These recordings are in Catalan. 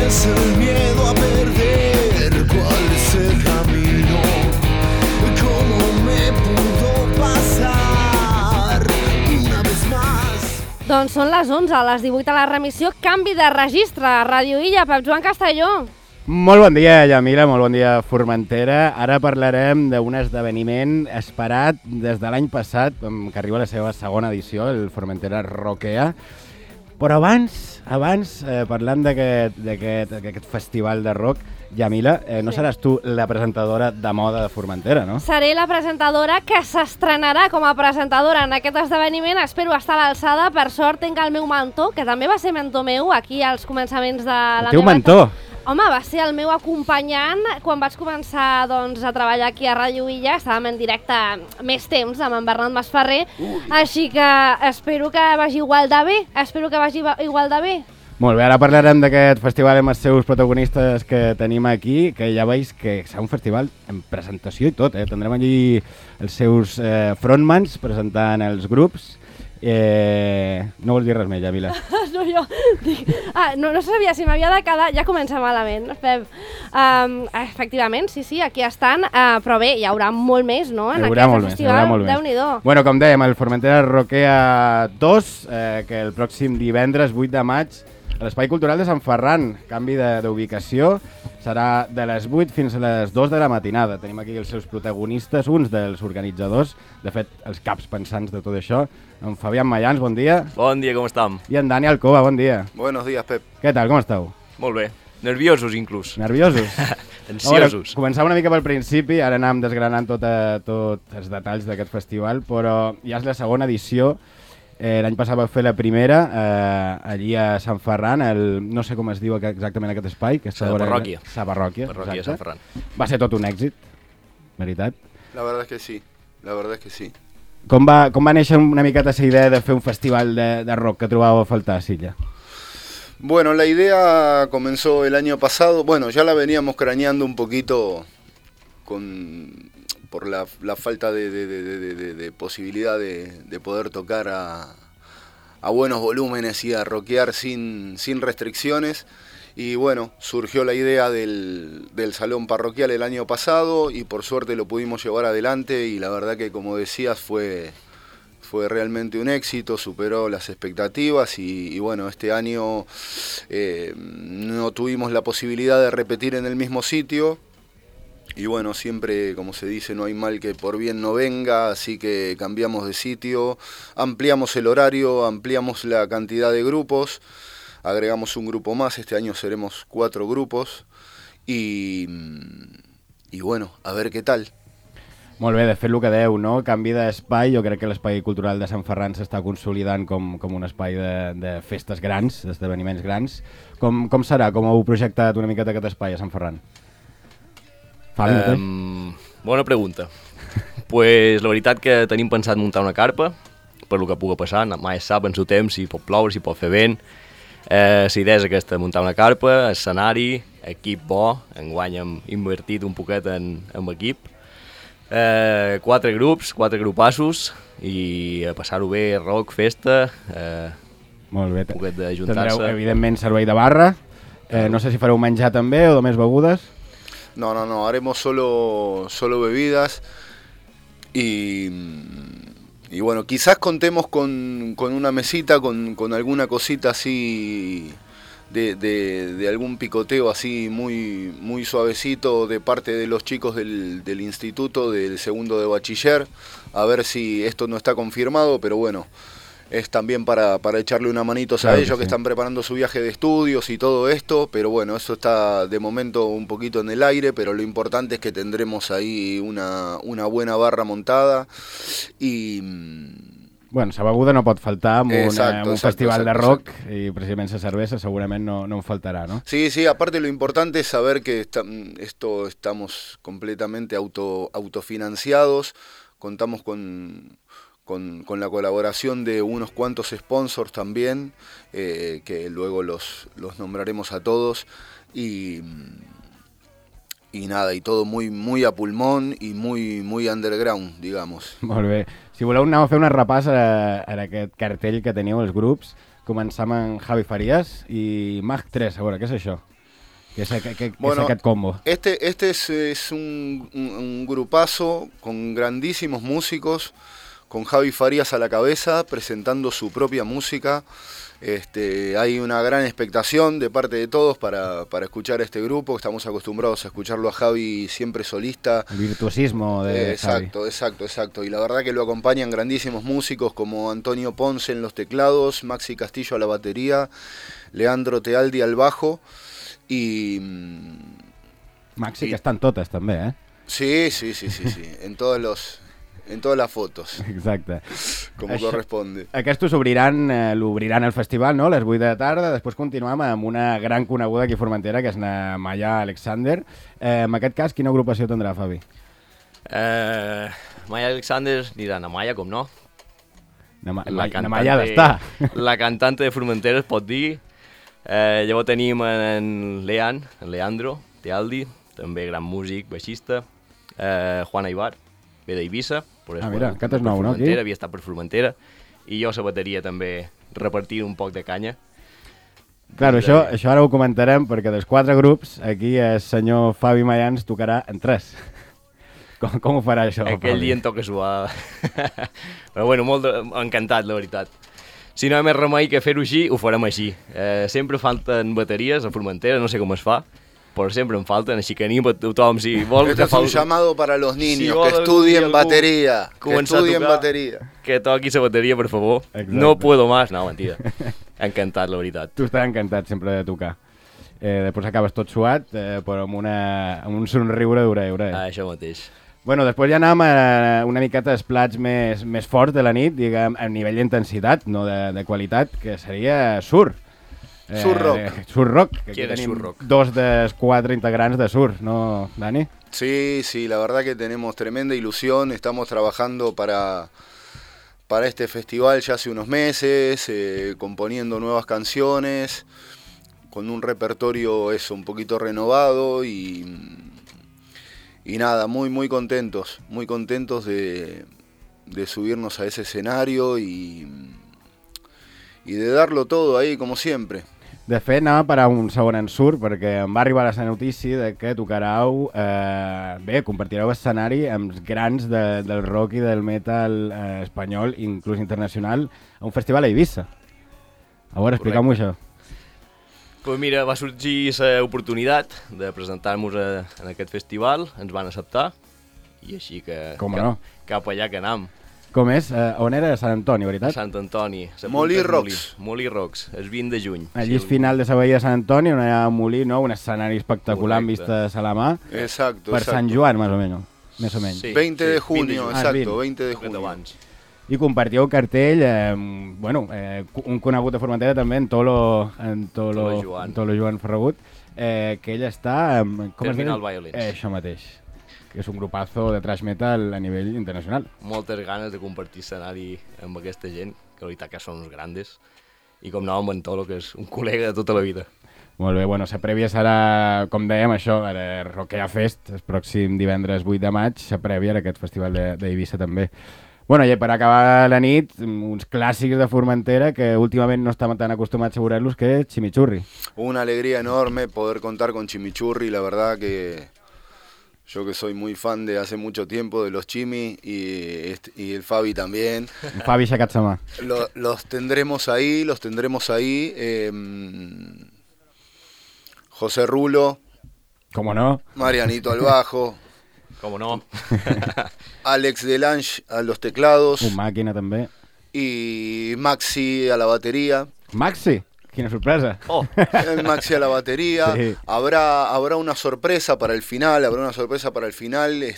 es el miedo a perder? ¿Cuál es el camino? ¿Cómo me pudo pasar una vez más? Doncs són les 11, a les 18 a la remissió, canvi de registre, Ràdio Illa, Pep Joan Castelló. Molt bon dia, Yamila, molt bon dia, Formentera. Ara parlarem d'un esdeveniment esperat des de l'any passat, que arriba a la seva segona edició, el Formentera Rockea. Però abans parlant d'aquest festival de rock, Yamila, no seràs tu la presentadora de moda de Formentera, no? Seré la presentadora que s'estrenarà com a presentadora en aquest esdeveniment. Espero estar a l'alçada. Per sort tinc el meu mentor, que també va ser mentor meu aquí als començaments de la meva... El teu mentor? Home, va ser el meu acompanyant quan vaig començar a treballar aquí a Ràdio Illa. Estàvem en directe més temps amb en Bernat Masferrer, així que espero que vagi igual de bé. Molt bé, ara parlarem d'aquest festival amb els seus protagonistes que tenim aquí, que ja veus que serà un festival en presentació i tot, Tindrem allí els seus frontmans presentant els grups. No vols dir res més, Yamila? No, jo dic... No sabia si m'havia de quedar... Ja comença malament, Pep. Efectivament, sí, aquí estan, però bé, hi haurà molt més, no?, en aquest festival. Déu-n'hi-do. Bueno, com dèiem, el Formentera Rockea 2, que el pròxim divendres 8 de maig a l'Espai Cultural de Sant Ferran, canvi d'ubicació, serà de les 8 fins a les 2 de la matinada. Tenim aquí els seus protagonistes, uns dels organitzadors, de fet, els caps pensants de tot això. En Fabián Mayans, bon dia. Bon dia, com estem? I en Dani Alcoba, bon dia. Buenos días, Pep. Què tal, com esteu? Molt bé. Nerviosos, inclús. Nerviosos? Ansiosos. Començar una mica pel principi, ara anàvem desgranant tots els detalls d'aquest festival, però ja és la segona edició. L'any passat va fer la primera, allí a Sant Ferran, no sé com es diu exactament aquest espai. Sa parròquia. Sa parròquia, Parròquia de Sant Ferran. Va ser tot un èxit, veritat? La verdad es que sí. Com va néixer una miqueta esa idea de fer un festival de rock que trobàveu a faltar a Silla? Bueno, la idea comenzó el año pasado. Bueno, ya la veníamos craneando un poquito por la falta de posibilidad de poder tocar a buenos volúmenes y a rockear sin restricciones. Y bueno, surgió la idea del salón parroquial el año pasado y por suerte lo pudimos llevar adelante y la verdad que, como decías, fue realmente un éxito, superó las expectativas y bueno, este año no tuvimos la posibilidad de repetir en el mismo sitio. Y bueno, siempre, como se dice, no hay mal que por bien no venga, así que cambiamos de sitio, ampliamos el horario, ampliamos la cantidad de grupos, agregamos un grupo más, este año seremos 4 grupos y bueno, a ver què tal. Molt bé, de fet el que dèieu, no? Canvi d'espai, jo crec que l'Espai Cultural de Sant Ferran s'està consolidant com un espai de festes grans, d'esdeveniments grans. Com serà? Com heu projectat una miqueta aquest espai a Sant Ferran? Bona pregunta. Pues la veritat que tenim pensat muntar una carpa, per lo que pugui passar, mai es sap en el temps si pot ploure, si pot fer vent. La idea és aquesta, muntar una carpa, escenari, equip bo, enguany hem invertit un poquet en equip. 4 grups, 4 grupassos i a passar-ho bé, rock, festa, molt bé. Un poquet d'ajuntar-se. Tindreu, evidentment, servei de barra. No sé si fareu menjar també o només begudes. No, haremos solo bebidas y bueno, quizás contemos con una mesita, con alguna cosita así de algún picoteo así muy suavecito de parte de los chicos del instituto, del segundo de bachiller, a ver si esto no está confirmado, pero bueno, es también para echarle una manito a ellos que están preparando su viaje de estudios y todo esto, pero bueno, eso está de momento un poquito en el aire, pero lo importante es que tendremos ahí una buena barra montada y... Bueno, la beguda no pot faltar en un festival de rock y precisament la cervesa segurament no en faltarà, ¿no? Sí, aparte lo importante es saber que estamos completamente autofinanciados, contamos con la colaboración de unos cuantos sponsors también, que luego los nombraremos a todos y nada, y todo muy a pulmón y muy underground, digamos. Molt bé. Si voleu, anem a fer una repàs a aquest cartell que teniu els grups. començar amb Javi Farías i Mag 3, a veure, què és això? Què és aquest combo? Este es un grupazo con grandísimos músicos, con Javi Farías a la cabeza, presentando su propia música. Hay una gran expectación de parte de todos para escuchar este grupo. Estamos acostumbrados a escucharlo a Javi siempre solista. El virtuosismo de Javi. Exacto. Y la verdad que lo acompañan grandísimos músicos como Antonio Ponce en los teclados, Maxi Castillo a la batería, Leandro Tealdi al bajo y... Maxi, que estan totes també, eh? Sí, en todas las fotos. Exacte. Com corresponde. Aquestos l'obriran el festival, no?, a les 8 de la tarda. Després continuem amb una gran coneguda aquí a Formentera, que és na Maya Alexander. En aquest cas, quina agrupació tindrà, Fabi? Maya Alexander anirà na Maya, com no? Na Maya ha d'estar. La cantante de Formentera, es pot dir. Llavors tenim en Leandro Tealdi, també gran músic, baixista. Juan Aibar, ve d'Eivissa. Mira, aquest és nou, no? Aquí? Havia estat per Formentera. I jo a la bateria també repartir un poc de canya. Clar, això ara ho comentarem, perquè dels 4 grups, aquí el senyor Fabi Mayans tocarà en 3. Com ho farà això, Aquell Fabi? dia em toca suar. Però bueno, molt encantat, la veritat. Si no hi ha més remei que fer-ho així, ho farem així. Sempre falten bateries a Formentera, no sé com es fa, però sempre en falten, així que anim a tothom, si vol... Este es un llamado para los niños, que estudien batería, que toqui la bateria, per favor. Exacte. No puedo más. No, mentida. Encantat, la veritat. Tu estàs encantat sempre de tocar. Després acabes tot suat, però amb un somriure d'hora. Això mateix. Bueno, després ja anàvem a una miqueta dels plats més forts de la nit, diguem, a nivell d'intensitat, no de qualitat, que seria Sur. Sur Rock. Sur Rock, que aquí ¿Quién es tenim Sur Rock? 2 dels 4 integrants de Sur, ¿no, Dani? Sí, la verdad que tenemos tremenda ilusión, estamos trabajando para este festival ya hace unos meses, componiendo nuevas canciones, con un repertorio un poquito renovado y nada, muy contentos de subirnos a ese escenario y de darlo todo ahí, como siempre. De fet, anava a parar un segon en Sur, perquè em va arribar la notícia de que tocareu, compartireu escenari amb grans del rock i del metal espanyol, inclús internacional, a un festival a Eivissa. A veure, explica'm-ho això. Pues mira, va sorgir l'oportunitat de presentar-nos en aquest festival, ens van acceptar, i així que cap allà que anam. Com és? On era? Sant Antoni, veritat? Sant Antoni. Molí Rocks. Molí Rocks, el 20 de juny. El llis final de la bahia de Sant Antoni, on hi ha un molí, no? Un escenari espectacular amb vistes a la mà. Exacto. Per Sant Joan, més o menys. Sí, 20 de junio, exacto, 20 de junio. I compartíeu cartell, un conegut de Formentera també, en Tolo Joan Ferragut, que ell està... Terminal Violence. Això mateix, que és un grupazo de thrash metal a nivell internacional. Moltes ganes de compartir escenari amb aquesta gent, que la veritat que són uns grandes, i com no amb en Tolo, que és un col·lega de tota la vida. Molt bé, bueno, la prèvia serà, com dèiem, això, Rockea Fest, el pròxim divendres 8 de maig, la prèvia d'aquest festival d'Eivissa també. Bueno, i per acabar la nit, uns clàssics de Formentera que últimament no estamos tan acostumbrats a veure-los, que Chimichurri. Una alegría enorme poder contar con Chimichurri, la verdad que yo que soy muy fan de hace mucho tiempo de los Chimi y el Fabi también. El Fabi aixecat sa mà. Los tendremos ahí. José Rulo. ¿Cómo no? Marianito al bajo. ¿Cómo no? Alex Delange a los teclados. Un màquina també. Y Maxi a la batería. Maxi? Quina sorpresa. Oh. Maxi a la batería. Sí. Habrá una sorpresa para el final,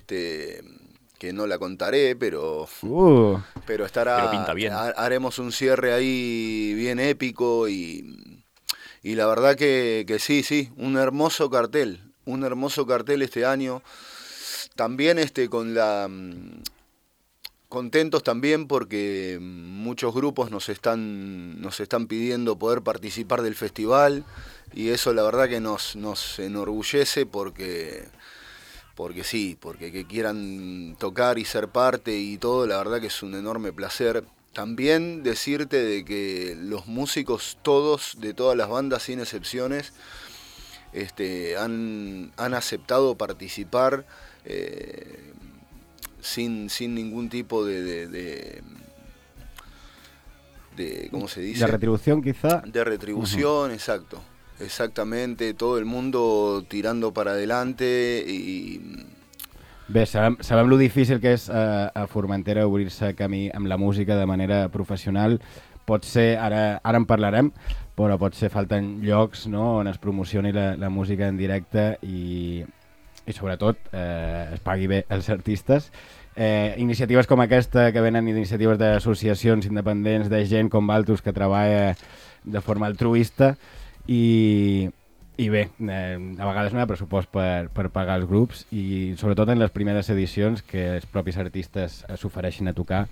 que no la contaré, pero estará. Pero pinta bien. Haremos un cierre ahí bien épico y la verdad que sí, un hermoso cartel este año. También contentos también porque muchos grupos nos están pidiendo poder participar del festival y eso la verdad que nos enorgullece porque que quieran tocar y ser parte y todo, la verdad que es un enorme placer también decirte de que los músicos todos, de todas las bandas sin excepciones, han aceptado participar sin ningún tipo de ¿cómo se dice? De retribución, quizá. De retribución, exacto. Exactamente, todo el mundo tirando para adelante i... Bé, sabem lo difícil que és a Formentera obrir-se camí amb la música de manera professional. Pot ser, ara en parlarem, però pot ser falten llocs, no?, on es promocioni la música en directe i sobretot es pagui bé els artistes. Iniciatives com aquesta, que venen iniciatives d'associacions independents, de gent com Valtus que treballa de forma altruista i bé, a vegades no hi ha pressupost per pagar els grups i sobretot en les primeres edicions que els propis artistes s'ofereixin a tocar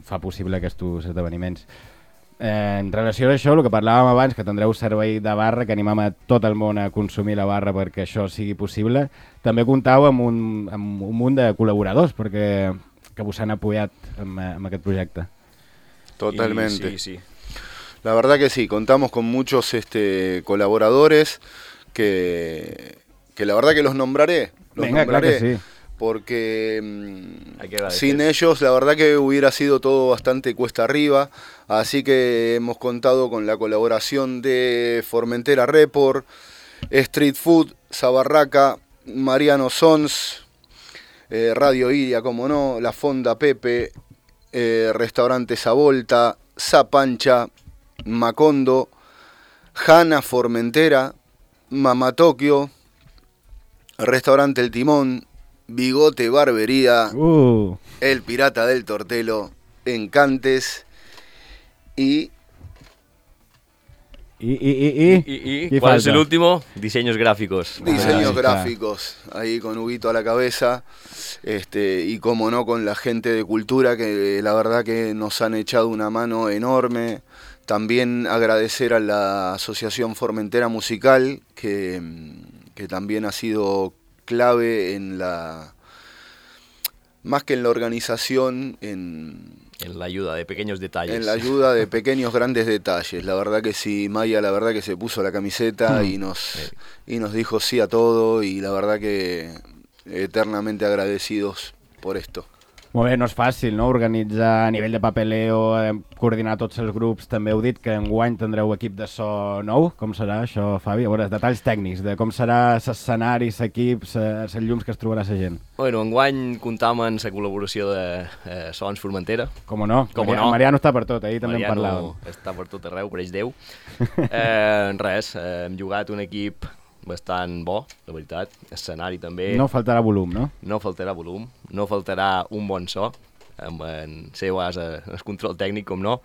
fa possible aquests esdeveniments. En relació a això, el que parlàvem abans, que tindreu servei de barra, que animam a tot el món a consumir la barra perquè això sigui possible, també comptau amb un munt de col·laboradors perquè que vos han apoyat amb aquest projecte. Totalmente. Y sí. La verdad que sí, contamos con muchos colaboradores que la verdad que los nombraré. Venga, claro que sí. Porque Hay sin ellos la verdad que hubiera sido todo bastante cuesta arriba, así que hemos contado con la colaboración de Formentera Report, Street Food, Zabarraca, Mariano Sons, Radio Iria, como no, La Fonda Pepe, Restaurante Savolta, Zapancha, Macondo, Hanna Formentera, Mama Tokio, Restaurante El Timón, Bigote Barbería, El Pirata del Tortelo, Encantes y ¿cuál es el último? Diseños gráficos. Diseños gráficos, ahí con Huguito a la cabeza, y como no con la gente de cultura que la verdad que nos han echado una mano enorme. También agradecer a la Asociación Formentera Musical que también ha sido clave en más que en la organización, en la ayuda de pequeños detalles. En la ayuda de pequeños grandes detalles. La verdad que sí, Maya, la verdad que se puso la camiseta y nos dijo sí a todo, y la verdad que eternamente agradecidos por esto. Molt bé, no és fàcil, no?, organitzar a nivell de papeleo, coordinar tots els grups. També heu dit que enguany tindreu equip de so nou. Com serà això, Fabi? A veure, detalls tècnics de com serà l'escenaris, equips, els llums que es trobarà la gent. Bueno, enguany comptam amb la col·laboració de Sons Formentera. Com no? Mariano està per tot, ahir també en parlàvem. Mariano està per tot arreu, per ells Déu. Res, hem jugat un equip bastant bo, la veritat. Escenari també. No faltarà volum, no? No faltarà volum, no faltarà un bon so, amb en CEOAS el control tècnic, com no.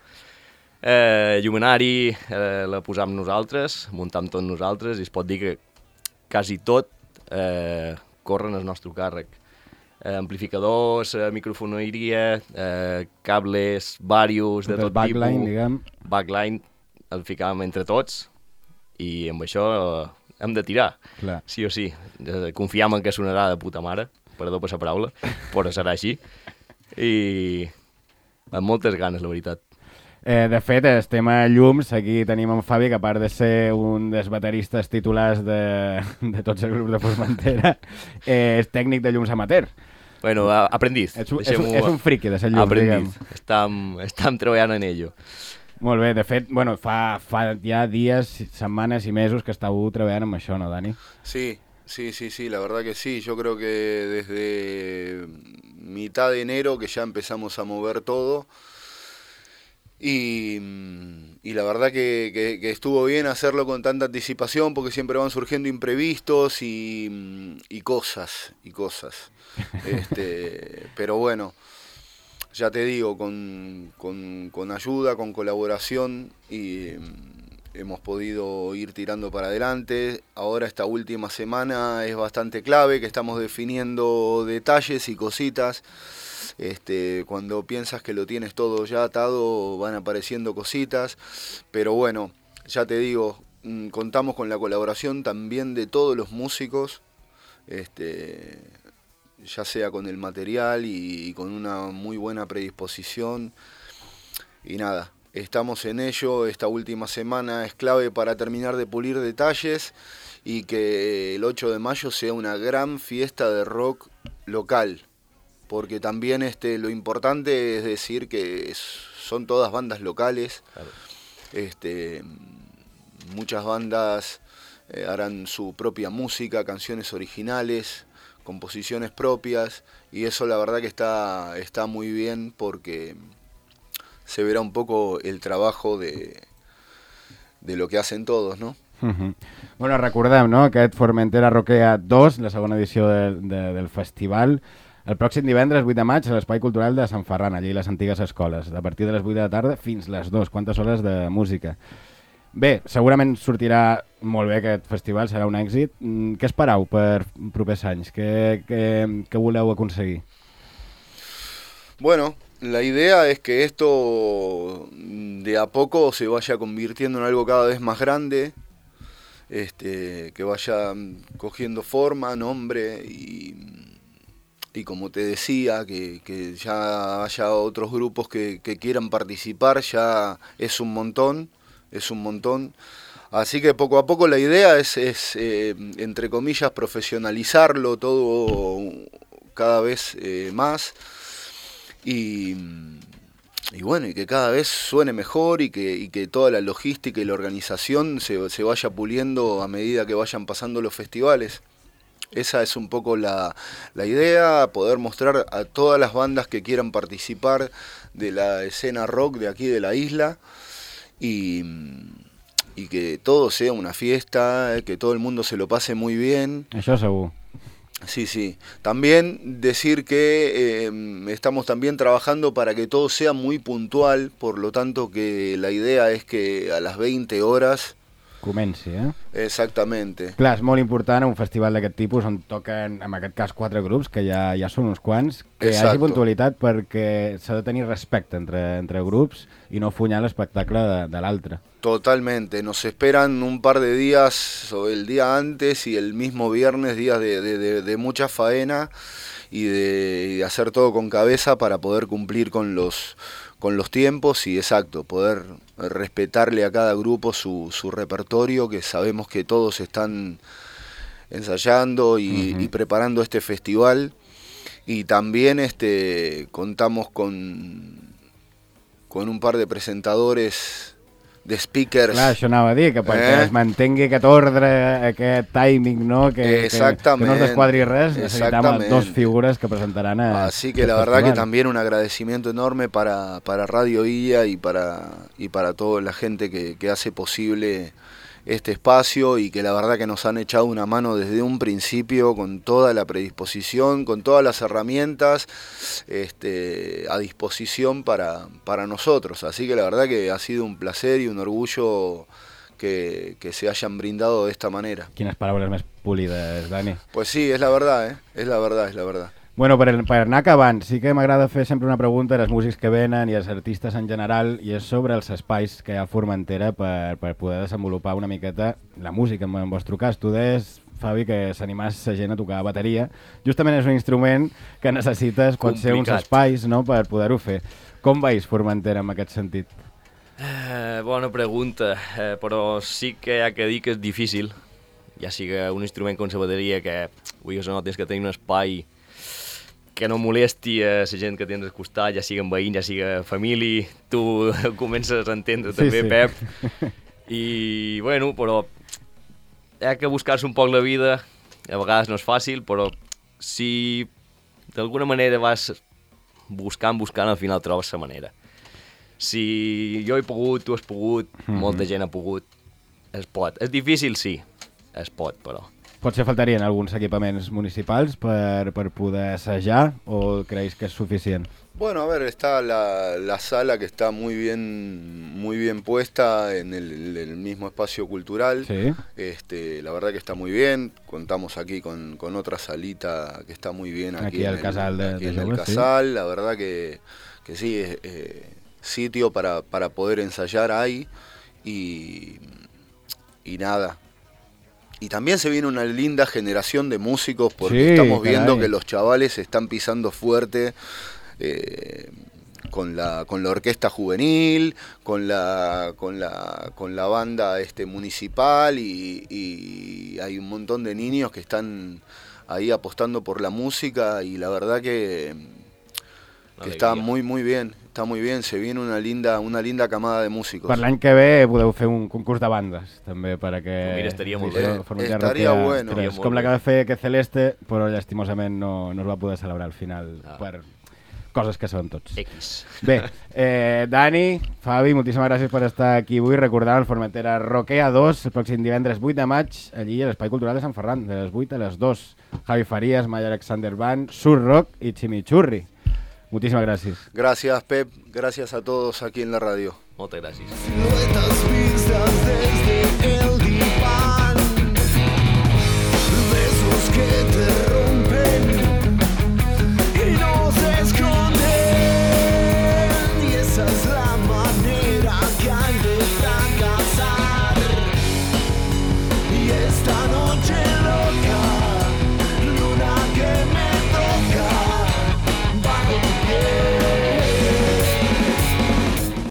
Llumenari la posam nosaltres, muntam tot nosaltres, i es pot dir que quasi tot corren al nostre càrrec. Amplificadors, microfoneria, cables, varios, de tot tipus. Backline, diguem. Backline, el ficàvem entre tots, i amb això hem de tirar, clar. Sí o sí. Confiam en que sonarà de puta mare, perdó per la paraula, però serà així. I amb moltes ganes, la veritat. De fet, el tema llums, aquí tenim en Fabi, que a part de ser un dels bateristes titulars de tots els grups de Formentera, és tècnic de llums amateur. Bueno, aprendiz. És un friqui de ser llums, aprendiz. Estem treballant en ello. Molt bé, de fet, bueno, fa ja dies, setmanes i mesos que estàveu treballant amb això, ¿no, Dani? Sí, la verdad que sí. Yo creo que desde mitad de enero que ya empezamos a mover todo, y la verdad que estuvo bien hacerlo con tanta anticipación, porque siempre van surgiendo imprevistos y cosas. Pero bueno, ya te digo, con ayuda, con colaboración, y hemos podido ir tirando para adelante. Ahora esta última semana es bastante clave, que estamos definiendo detalles y cositas. Cuando piensas que lo tienes todo ya atado, van apareciendo cositas. Pero bueno, ya te digo, contamos con la colaboración también de todos los músicos, ya sea con el material y con una muy buena predisposición. nada, estamos en ello. Esta última semana es clave para terminar de pulir detalles y que el 8 de mayo sea una gran fiesta de rock local, porque también lo importante es decir que son todas bandas locales. Claro. Muchas bandas harán su propia música, canciones originales, composiciones propias, y eso la verdad que está muy bien, porque se verá un poco el trabajo de lo que hacen todos, ¿no? Bueno, recordem, no?, aquest Formentera Rockea 2, la segona edició del festival, el pròxim divendres 8 de maig a l'Espai Cultural de Sant Ferran, allí a les antigues escoles, a partir de les 8 de la tarda fins les 2, quantes hores de música. Bé, segurament sortirà molt bé aquest festival, serà un èxit. Què esperau per propers anys? Què voleu aconseguir? Bueno, la idea es que esto de a poco se vaya convirtiendo en algo cada vez más grande, que vaya cogiendo forma, nombre y como te decía, que ya haya otros grupos que quieran participar, ya es un montón. Así que poco a poco la idea es entre comillas, profesionalizarlo todo cada vez más. Y bueno, y que cada vez suene mejor y que toda la logística y la organización se vaya puliendo a medida que vayan pasando los festivales. Esa es un poco la idea, poder mostrar a todas las bandas que quieran participar de la escena rock de aquí de la isla, y que todo sea una fiesta, que todo el mundo se lo pase muy bien. Això segur. Sí. También decir que estamos también trabajando para que todo sea muy puntual, por lo tanto que la idea es que a las 20 horas... Comenci, Exactamente. Clar, és molt important un festival d'aquest tipus on toquen, en aquest cas, 4 grups, que ja són uns quants, que hi hagi puntualitat, perquè s'ha de tenir respecte entre grups i no funyar l'espectacle de l'altre. Totalmente, nos esperan un par de días, o el día antes y el mismo viernes, días de mucha faena y de hacer todo con cabeza para poder cumplir con los tiempos y poder respetarle a cada grupo su repertorio, que sabemos que todos están ensayando y preparando este festival, y también contamos con un par de presentadores, de speakers. Clar, això anava a dir, que perquè es mantengui aquest ordre, aquest timing, no? Que no es desquadri res, necesitamos 2 figures que presentaran Así que la verdad que también un agradecimiento enorme para Radio IA y para toda la gente que hace posible este espacio, y que la verdad que nos han echado una mano desde un principio con toda la predisposición, con todas las herramientas a disposición para nosotros. Así que la verdad que ha sido un placer y un orgullo que se hayan brindado de esta manera. Quines paraules més polides, Dani. Pues sí, es la verdad, es la verdad. Bueno, per anar acabant, sí que m'agrada fer sempre una pregunta als músics que venen i als artistes en general, i és sobre els espais que hi ha a Formentera per poder desenvolupar una miqueta la música, en el vostre cas. Tu deies, Fabi, que s'animàs la gent a tocar bateria. Justament és un instrument que necessites, pot ser uns espais, no?, per poder-ho fer. Com veus Formentera en aquest sentit? Bona pregunta, però sí que hi ha que dir que és difícil, ja sigui un instrument com la bateria, que tens que tenir un espai que no molesti a la gent que tens al costat, ja siguen veïns, ja siga família, tu comences a entendre també, Pep. I, bueno, però hi ha que buscar-se un poc la vida, a vegades no és fàcil, però si d'alguna manera vas buscant, al final trobes la manera. Si jo he pogut, tu has pogut, molta gent ha pogut, es pot. És difícil, sí, es pot, però... Potser faltarien alguns equipaments municipals per poder assajar, o creéis que es suficient? Bueno, a ver, está la sala que está muy bien puesta en el mismo espacio cultural. Sí. La verdad que está muy bien. Contamos aquí con otra salita que está muy bien aquí en el Casal en el Casal. Sí. La verdad que sí, sitio para poder ensayar ahí, y nada. Y también se viene una linda generación de músicos, porque estamos viendo que los chavales están pisando fuerte con la orquesta juvenil, con la banda municipal y hay un montón de niños que están ahí apostando por la música y la verdad que está muy bien, se viene una linda camada de músicos. Per l'any que ve podeu fer un concurs de bandes, també, perquè... Mira, estaria molt bé. Estaria bueno. Com la que va fer que Celeste, però llastimosament no es va poder celebrar al final per coses que sabem tots. X. Bé, Dani, Fabi, moltíssimes gràcies per estar aquí avui. Recordant el Formentera Roquea 2, el pròxim divendres 8 de maig, allí a l'Espai Cultural de Sant Ferran, de les 8 a les 2. Javi Farías, Maya Alexander Band, Sur Rock y Chimichurri. Muchísimas gracias. Gracias, Pep. Gracias a todos aquí en la radio. Muchas gracias. Siluetas vistas desde